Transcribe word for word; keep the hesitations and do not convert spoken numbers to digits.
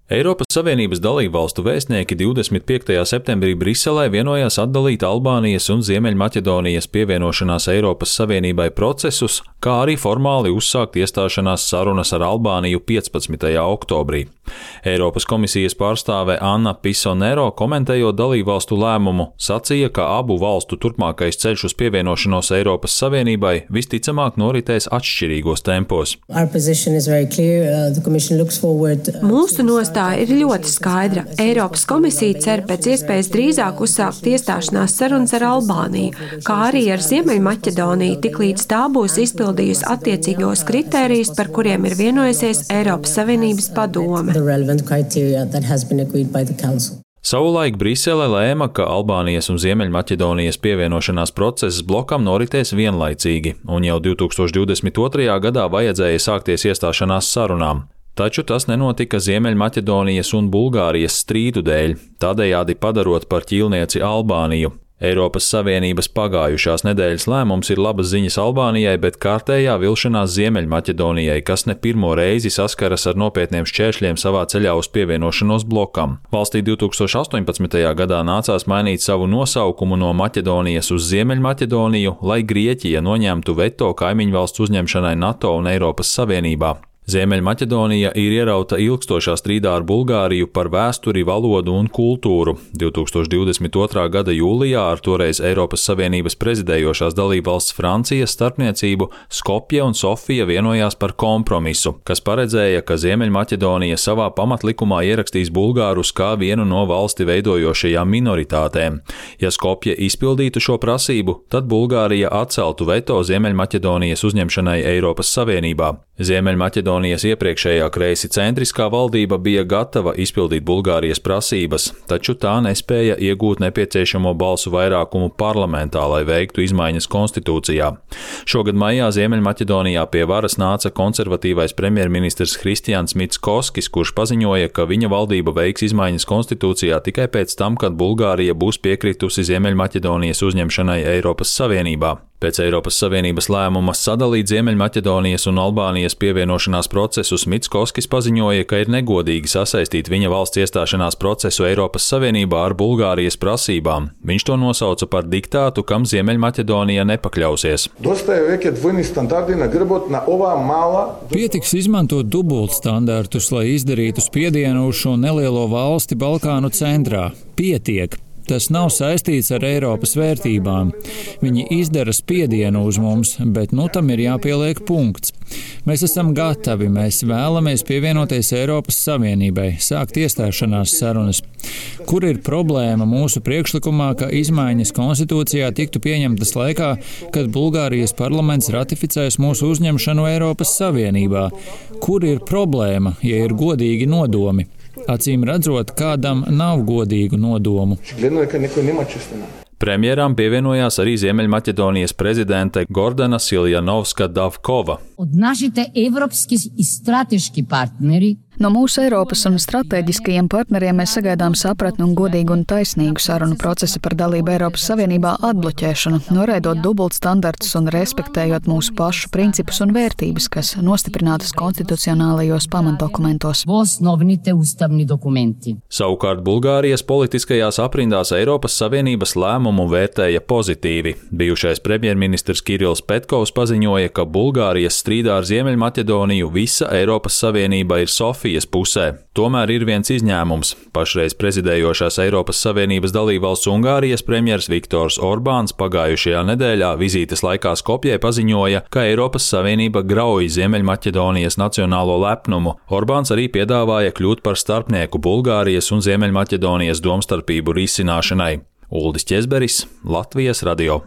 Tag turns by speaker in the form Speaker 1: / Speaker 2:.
Speaker 1: Eiropas Savienības dalībvalstu vēstnieki divdesmit piektajā septembrī Briselē vienojās atdalīt Albānijas un Ziemeļmaķedonijas pievienošanās Eiropas Savienībai procesus, kā arī formāli uzsākt iestāšanās sarunas ar Albāniju piecpadsmitajā oktobrī. Eiropas komisijas pārstāve Anna Pisonero, komentējot dalībvalstu lēmumu, sacīja, ka abu valstu turpmākais ceļš uz pievienošanos Eiropas Savienībai visticamāk noritēs atšķirīgos tempos.
Speaker 2: Mūsu nostāja ir ļoti skaidra. Eiropas komisija cer pēc iespējas drīzāk uzsākt iestāšanās sarunas ar Albāniju, kā arī ar Ziemeļmaķedoniju, tiklīdz tā būs izpildījusi attiecīgos kritērijus, par kuriem ir vienojusies Eiropas Savienības padome.
Speaker 1: Savulaik Brisele lēma, ka Albānijas un Ziemeļmaķedonijas pievienošanās process blokam noritēs vienlaicīgi, un jau divi tūkstoši divdesmit otrajā gadā vajadzēja sākties iestāšanās sarunām. Taču tas nenotika Ziemeļmaķedonijas un Bulgārijas strīdu dēļ, tādējādi padarot par ķīlnieci Albāniju. Eiropas Savienības pagājušās nedēļas lēmums ir labas ziņas Albānijai, bet kārtējā vilšanās Ziemeļmaķedonijai, kas ne pirmo reizi saskaras ar nopietniem šķēršļiem savā ceļā uz pievienošanos blokam. Valstī divi tūkstoši astoņpadsmitajā gadā nācās mainīt savu nosaukumu no Maķedonijas uz Ziemeļmaķedoniju, lai Grieķija noņemtu veto kaimiņvalsts uzņemšanai NATO un Eiropas Savienībā. Ziemeļmaķedonija ir ierauta ilgstošā strīdā ar Bulgāriju par vēsturi, valodu un kultūru. divi tūkstoši divdesmit otrā gada jūlijā ar toreiz Eiropas Savienības prezidējošās dalībvalsts Francijas starpniecību Skopje un Sofija vienojās par kompromisu, kas paredzēja, ka Ziemeļmaķedonija savā pamatlikumā ierakstīs bulgārus kā vienu no valsti veidojošajām minoritātēm. Ja Skopje izpildītu šo prasību, tad Bulgārija atceltu veto Ziemeļmaķedonijas uzņemšanai Eiropas Savienībā. Ziemeļmaķedonijas iepriekšējā kreisi centriskā valdība bija gatava izpildīt Bulgārijas prasības, taču tā nespēja iegūt nepieciešamo balsu vairākumu parlamentā, lai veiktu izmaiņas konstitūcijā. Šogad maijā Ziemeļmaķedonijā pie varas nāca konservatīvais premjerministrs Hristians Mitskoskis, kurš paziņoja, ka viņa valdība veiks izmaiņas konstitūcijā tikai pēc tam, kad Bulgārija būs piekritusi Ziemeļmaķedonijas uzņemšanai Eiropas Savienībā. Pēc Eiropas Savienības lēmuma sadalīt Ziemeļmaķedonijas un Albānijas pievienošanās procesus Mitskoskis paziņoja, ka ir negodīgi sasaistīt viņa valsts iestāšanās procesu Eiropas Savienībā ar Bulgārijas prasībām. Viņš to nosauca par diktātu, kam Ziemeļmaķedonija nepakļausies.
Speaker 3: Pietiks izmantot dubultstandartus, lai izdarītu spiedienu uz šo nelielo valsti Balkānu centrā. Pietiek. Tas nav saistīts ar Eiropas vērtībām. Viņi izdara spiedienu uz mums, bet nu tam ir jāpieliek punkts. Mēs esam gatavi, mēs vēlamies pievienoties Eiropas Savienībai, sākt iestāšanās sarunas. Kur ir problēma mūsu priekšlikumā, ka izmaiņas konstitūcijā tiktu pieņemtas laikā, kad Bulgārijas parlaments ratificēs mūsu uzņemšanu Eiropas Savienībā? Kur ir problēma, ja ir godīgi nodomi? Acīm redzot, kādam nav godīgu nodomu.
Speaker 1: Premjeram pievienojās arī Ziemeļmaķedonijas prezidente Gordana Siljanovska-Davkova.
Speaker 4: No mūsu Eiropas un stratēģiskajiem partneriem mēs sagaidām sapratni un godīgu un taisnīgu sarunu procesu par dalību Eiropas Savienībā atbloķēšanu, noraidot dubultstandartus un respektējot mūsu pašu principus un vērtības, kas nostiprinātas konstitucionālajos pamatdokumentos.
Speaker 1: Savukārt Bulgārijas politiskajās aprindās Eiropas Savienības lēmumu vērtēja pozitīvi. Bijušais premjerministrs Kirills Petkovs paziņoja, ka Bulgārijas strīdā ar Ziemeļmaķedoniju visa Eiropas Savienība ir Sofija pusē. Tomēr ir viens izņēmums. Pašreiz prezidējošās Eiropas Savienības dalībvalsts Ungārijas premjers Viktors Orbāns pagājušajā nedēļā vizītes laikā Skopjē paziņoja, ka Eiropas Savienība grauj Ziemeļmaķedonijas nacionālo lepnumu. Orbāns arī piedāvāja kļūt par starpnieku Bulgārijas un Ziemeļmaķedonijas domstarpību risināšanai. Uldis Ķezberis, Latvijas radio.